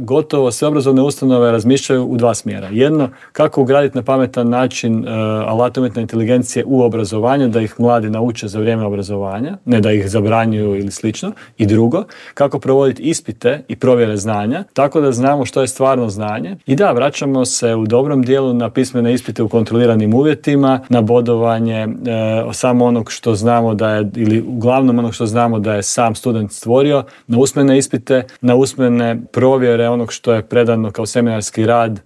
gotovo sve obrazovne ustanove razmišljaju u dva smjera. Jedno, kako ugraditi na pametan način alate umjetne inteligencije u obrazovanje, da ih mladi nauče za vrijeme obrazovanja, ne da ih zabranjuju ili slično. I drugo, kako provoditi ispite i provjere znanja, tako da znamo što je stvarno znanje. I da, vraćamo se u dobrom dijelu na pismene ispite u kontroliranim uvjetima, na bodovanje samo onog što znamo da je, ili uglavnom onog što znamo da je sam student stvorio, na usmene ispite, na usmene provjere onog što je predano kao seminarski rad